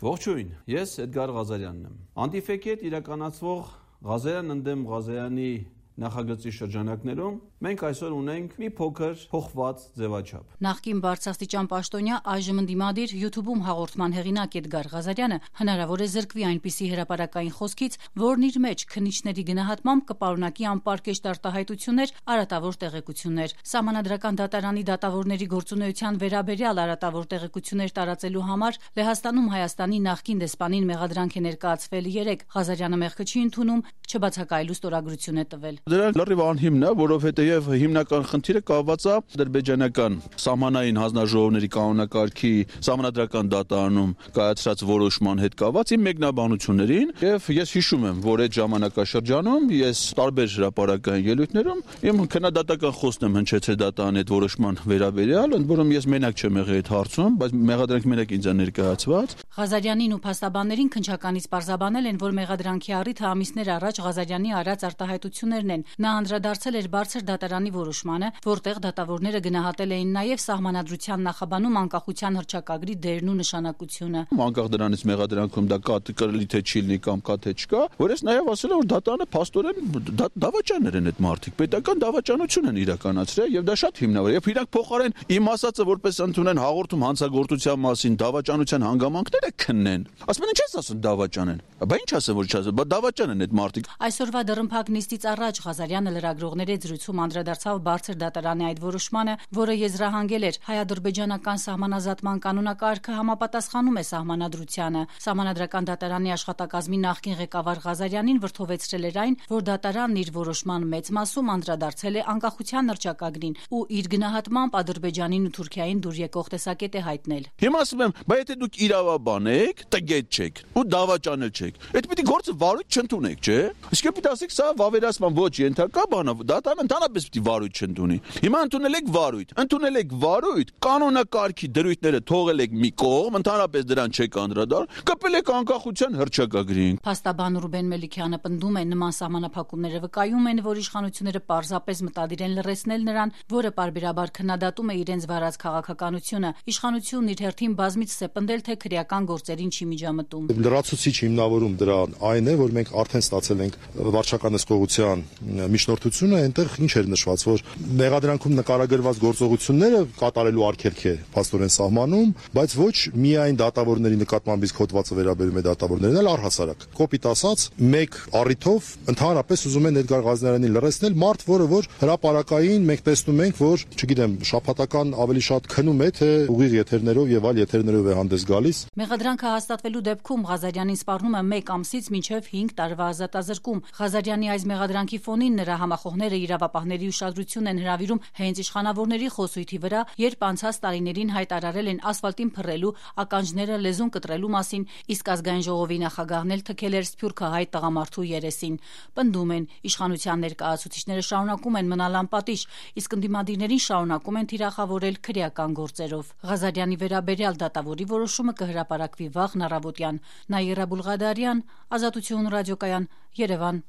Ողջույն, ես Էդգար Ղազարյանն եմ։ Անտիֆեքի հետ իրականացվող Ղազարյան ընդդեմ Ղազարյանի նախագծի շրջանակներում մենք այսօր ունենք մի փոքր փոխված ձևաչափ։ Նախկին բարձրաստիճան պաշտոնյա, այժմ ընդդիմադիր YouTube-ում հաղորդման հեղինակ Էդգար Ղազարյանը հնարավոր է զրկվի այնպիսի հրապարակային խոսքից, որն իր մեջ քննիչների գնահատմամբ կպարունակի անպարկեշտ արտահայտություններ, արատավոր տեղեկություններ։ Սահմանադրական դատարանի դատավորների գործունեության վերաբերյալ արատավոր տեղեկություններ տարածելու համար Լեհաստանում Հայաստանի նախկին դեսպանին մեղադրանք է ներկայացվել 3։ Ղազարյանը մեղքը չի ընդունում, չբացակայելու ստորագրություն է տվել։ Դրանք լրիվ անհիմն է, որովհետև հիմնական խնդիրը կապված է ադրբեջանական սահմանային հանձնաժողովների կանոնակարգի սահմանադրական դատարանում կայացրած որոշման հետ կապված իմ մեկնաբանություններին, եւ ես հիշում եմ, որ այդ ժամանակաշրջանում ես տարբեր հրապարակային ելույթներում իմ քննադատական խոսքն եմ հնչեցել դատարանի այդ որոշման վերաբերյալ, ընդ որում ես մենակ չեմ եղել այդ հարցում, բայց մեղադրանք մենակ ինձ է ներկայացված։ Ղազարյանին ու փաստաբաններին քննչականից պարզաբանել են, որ մեղադրանքի առիթը ամիսներ առաջ Ղազարյանի արած արտահայտություններն են։ Նա անդրադարձել էր բարձր դատարանի որոշմանը, որտեղ դատավորները գնահատել էին նաև սահմանադրության նախաբանում անկախության հռչակագրի դերն ու նշանակությունը։ Անկախ դրանից մեղադրանքում դա կրելի թե չի լինի կամ կա թե չկա, որ ես նաև ասել եմ, որ դատարանը փաստորեն դավաճաններ են այդ մարդիկ, պետական դավաճանություն են իրականացրել եւ դա շատ հիմնավոր է։ Եվ իրանք փոխարեն իմ ասածը որպես ընդունեն հաղորդում հանցագործության մասին դավաճանության հանգամանքները քննեն։ Ասում են ինչ ես ասում դավաճան են։ Բա ինչ ասեմ որ չասեմ, բա դավաճան են այդ մարդիկ։ Այսօրվա դռնփակ նիստից առաջ Ղազարյանը լրագրողների զրույցում անդրադարձավ բարձր դատարանի այդ որոշմանը, որը եզրահանգել էր հայ-ադրբեջանական սահմանազատման կանոնակարգը համապատասխանում է սահմանադրությանը։ Սահմանադրական դատարանի աշխատակազմի նախկին ղեկավար Ղազարյանին վրդովեցրել էր այն, որ դատարանն իր որոշման մեծ մասում անդրադարձել է անկախության հռչակագրին ու իր գնահատմամբ Ադրբեջանին ու Թուրքիային դուր եկող տեսակետ է հայտնել։ Հիմա ասում եմ, բայց եթե դուք իրավաբան եք, տգետ չեք ու դավաճանել չեք, այդ պիտի գործը վարույթ չընդունեք, չէ՞։ Իսկ պիտի ասեք սա վավերացման ոչ ենթակա բան է, դատարանը ընդհանրապես պիտի վարույթ չընդունի։ Հիմա ընդունել եք վարույթ, կանոնակարգի դրույթները թողել եք մի կողմ, ընդհանրապես դրան չեք անդրադառնում, կպել եք անկախության հռչակագրին։ Փաստաբան Ռուբեն Մելիքյանը պնդում է, նման սահմանափակումները վկայում են, որ իշխանությունները պարզապես մտադիր են լռեցնել նրան, որը պարբերաբար քննադատում է իրենց վարած քաղաքականությունը։ Իշխանությունն իր հերթին բազմիցս է պնդել, թե քրեական գործերին չի միջամտում։ Լրացուցիչ հիմնավորում դրան այն է, որ մենք արդեն ստացել ենք վարչական ըսկողության միջնորդությունը, այնտեղ ինչ էր նշված, որ մեղադրանքում նկարագրված գործողությունները կատարելու արգելք է փաստորեն սահմանում, բայց ոչ միայն դատավորների նկատմամբ իսկ հոդվածը վերաբերում է դատավորներին, այլ առհասարակ։ Կոպիտ ասած, մեկ առիթով ընդհանրապես ուզում են Էդգար Ղազարյանին լռեցնել, մարդ, որը հրապարակային մենք տեսնում ենք, որ, չգիտեմ, շաբաթական ավելի շատ քնում է, թե ուղիղ եթերներով եւ այլ եթերներով է հանդես գալիս։ Մեղադրանքը հաստատվելու դեպքում Ղազարյանին սպառնում է 1 ամսից մինչև 5 տարվա ազատազրկում։ Ղազարյանի այս մեղադրանքի ֆոնին նրա համախոհները իրավապահների ուշադրությունն են հրավիրում հենց իշխանավորների խոսույթի վրա, երբ անցած տարիներին հայտարարել են ասֆալտին փռելու, ականջները լեզուն կտրելու մասին, իսկ ազգային ժողովի նախագահն էլ թքել էր սփյուռքահայ տղամարդու երեսին։ Պնդում են, իշխանության ներկայացուցիչները շարունակում են մնալ անպատիժ, իսկ ընդդիմադիրներին շարունակում են թիրախավորել քրեական գործերով։ Ղազարյանի վերաբերյալ դատավորի որոշումը կհրապարակվի վաղն առավոտյան։ Նաիրա Բուլղադարյան, Ազատություն ռադիոկայան, Երևան։